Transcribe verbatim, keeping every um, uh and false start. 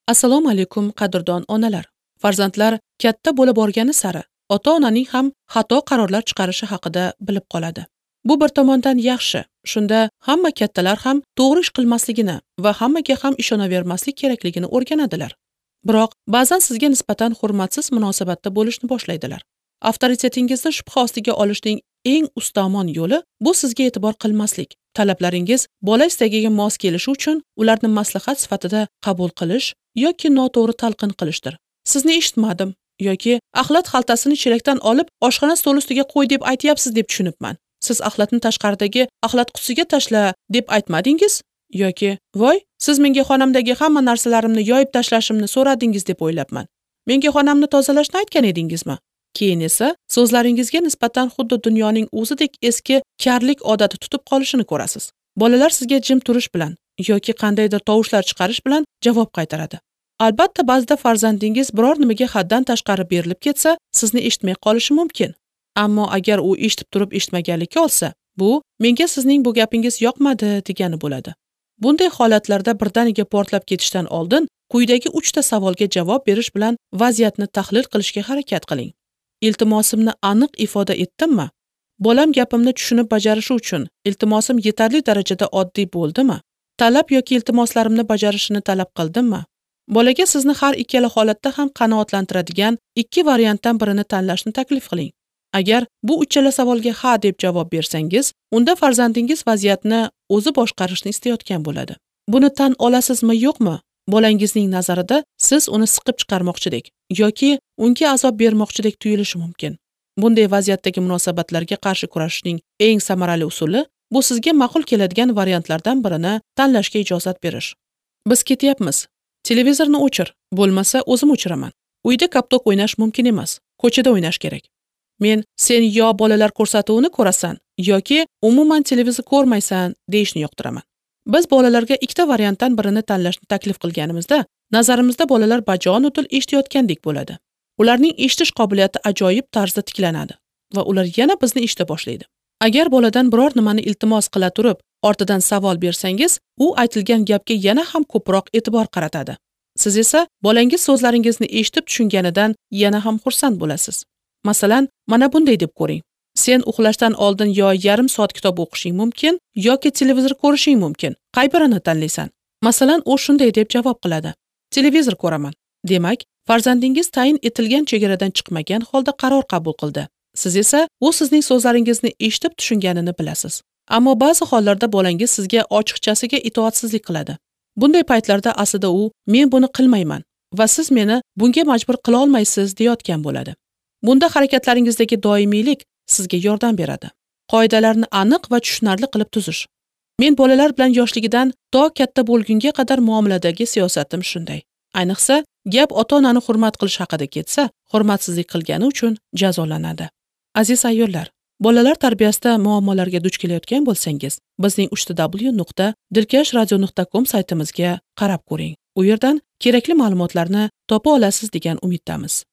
Assalomu alaykum qadrdon onalar. Farzandlar katta bo'la borgani sari ota-onaning ham xato qarorlar chiqarishi haqida bilib qoladi. Bu bir tomondan yaxshi. Shunda hamma kattalar ham to'g'ri ish qilmasligini va hammaga ham ishonavermaslik kerakligini o'rganadilar. Biroq ba'zan sizga nisbatan hurmatsiz munosabatda bo'lishni boshlaydilar. Avtoritetingizni shubha ostiga olishning eng ustomon yo'li bu sizga e'tibor qilmaslik. Talablaringiz bola istagiga mos kelishi uchun ularni maslahat sifatida qabul qilish yoki noto'g'ri talqin qilishdir. Sizni eshitmadim yoki axlat xaltasini chelakdan olib oshxona stoli ustiga qo'y deb aytyapsiz deb tushunibman. Siz axlatni tashqaridagi axlat qutisiga tashla deb aytmadingiz yoki voy, siz menga xonamdagi hamma narsalarimni yoyib tashlashimni so'radingiz deb o'ylabman. Menga xonamni tozalashni aytgan edingizmi? Keyin esa so'zlaringizga nisbatan xuddi dunyoning o'zidek eski karlik odati tutib qolishini ko'rasiz. Bolalar sizga jim turish bilan yoki qandaydir tovushlar chiqarish bilan javob qaytaradi. Albatta, ba'zida farzandingiz biror nimaga haddan tashqari berilib ketsa, sizni eshitmay qolishi mumkin. Ammo agar u eshitib turib eshitmaganlikka olsa, bu menga sizning bu gapingiz yoqmadi degani bo'ladi. Bunday holatlarda birdaniga portlab ketishdan oldin quyidagi uchta savolga javob berish bilan vaziyatni tahlil qilishga harakat qiling. Iltimosimni aniq ifoda etdimmi? Bolam gapimni tushunib bajarishi uchun iltimosim yetarli darajada oddiy bo'ldimi? Talab yoki iltimoslarimni bajarishini talab qildimmi? Bolaga sizni har ikkala holatda ham qanoatlantiradigan ikki variantdan birini tanlashni taklif qiling. Agar bu uchala savolga ha deb javob bersangiz, unda farzandingiz vaziyatni o'zi boshqarishni istayotgan bo'ladi. Buni tan olasizmi, yo'qmi? Bolangizning nazarida siz uni siqib chiqarmoqchidek yoki unga azob bermoqchidek tuyulishi mumkin. Bunday vaziyatdagi munosabatlarga qarshi kurashishning eng samarali usuli bu sizga ma'qul keladigan variantlardan birini tanlashga ijozat berish. Biz ketyapmiz. Televizorni o'chir, bo'lmasa o'zim o'chiraman. Uyda koptok o'ynash mumkin emas, ko'chada o'ynash kerak. Men sen yo bolalar ko'rsatuvini ko'rasan yoki umuman televizor ko'rmaysan deyishni yoqtiraman. Biz bolalarga ikkita variantdan birini tanlashni taklif qilganimizda, nazarimizda bolalar bajonidil eshitayotgandek bo'ladi. Ularning eshitish qobiliyati ajoyib tarzda tiklanadi va ular yana bizni eshita boshlaydi. Agar boladan biror nimani iltimos qila turib, ortidan savol bersangiz, u aytilgan gapga yana ham ko'proq e'tibor qaratadi. Siz esa bolangiz so'zlaringizni eshitib tushunganidan yana ham xursand bo'lasiz. Masalan, mana bunday deb ko'ring. Sen uxlashdan oldin yo yarim soat kitob o'qishing mumkin yoki televizor ko'rishing mumkin. Qay birini tanlaysan? Masalan, u shunday deb javob qiladi. Televizor ko'raman. Demak, farzandingiz tayin etilgan chegaradan chiqmagan holda qaror qabul qildi. Siz esa u sizning so'zlaringizni eshitib tushunganini bilasiz. Ammo ba'zi hollarda bolangiz sizga ochiqchasiga itoatsizlik qiladi. Bunday paytlarda aslida u men buni qilmayman va siz meni bunga majbur qila olmaysiz deyotgan bo'ladi. Bunda harakatlaringizdagi doimiylik sizga yordam beradi. Qoidalarni aniq va tushunarli qilib tuzish. Men bolalar bilan yoshligidan to katta bo'lgunga qadar muomaladagi siyosatim shunday. Ayniqsa, gap ota-onani hurmat qilish haqida ketsa, hurmatsizlik qilgani uchun jazolanadi. Aziz ayollar, bolalar tarbiyasida muammolarga duch kelayotgan bo'lsangiz, bizning uch w nuqta dilkash radio nuqta com saytimizga qarab ko'ring. U yerdan kerakli ma'lumotlarni topa olasiz degan umiddamiz.